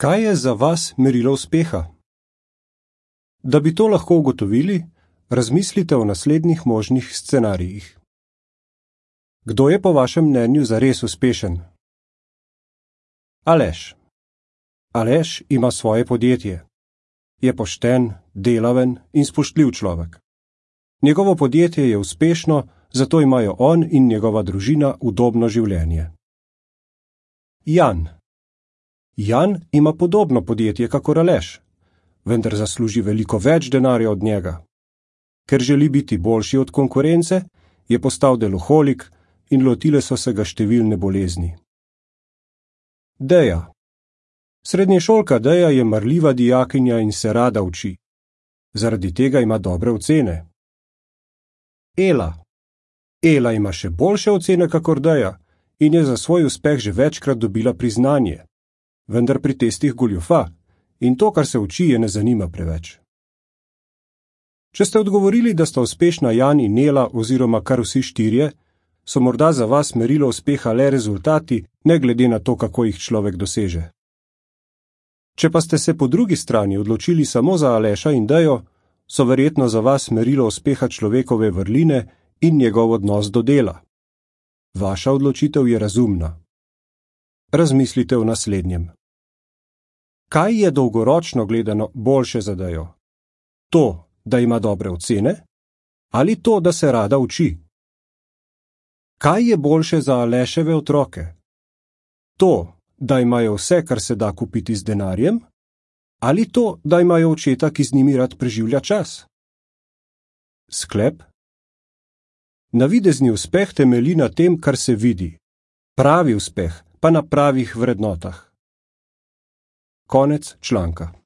Kaj je za vas merilo uspeha? Da bi to lahko ugotovili, razmislite o naslednjih možnih scenarijih. Kdo je po vašem mnenju zares uspešen? Aleš. Aleš ima svoje podjetje. Je pošten, delaven in spoštljiv človek. Njegovo podjetje je uspešno, zato imajo on in njegova družina udobno življenje. Jan. Jan ima podobno podjetje kakor Aleš, vendar zasluži veliko več denarja od njega. Ker želi biti boljši od konkurence, je postal deloholik in lotile so se ga številne bolezni. Deja. Srednješolka Deja je marljiva dijakinja in se rada uči. Zaradi tega ima dobre ocene. Ela. Ela ima še boljše ocene kakor Deja in je za svoj uspeh že večkrat dobila priznanje. Vendar pri testih goljufa in to, kar se uči, je ne zanima preveč. Če ste odgovorili, da sta uspešna Jan in Ela oziroma kar vsi štirje, so morda za vas merilo uspeha le rezultati, ne glede na to, kako jih človek doseže. Če pa ste se po drugi strani odločili samo za Aleša in Dejo, so verjetno za vas merilo uspeha človekove vrline in njegov odnos do dela. Vaša odločitev je razumna. Razmislite o naslednjem. Kaj je dolgoročno gledano boljše za Dejo? To, da ima dobre ocene? Ali to, da se rada uči? Kaj je boljše za Aleševe otroke? To, da imajo vse, kar se da kupiti z denarjem? Ali to, da imajo očeta, ki z njimi rad preživlja čas? Sklep? Navidezni uspeh temelji na tem, kar se vidi. Pravi uspeh pa na pravih vrednotah. Konec članka.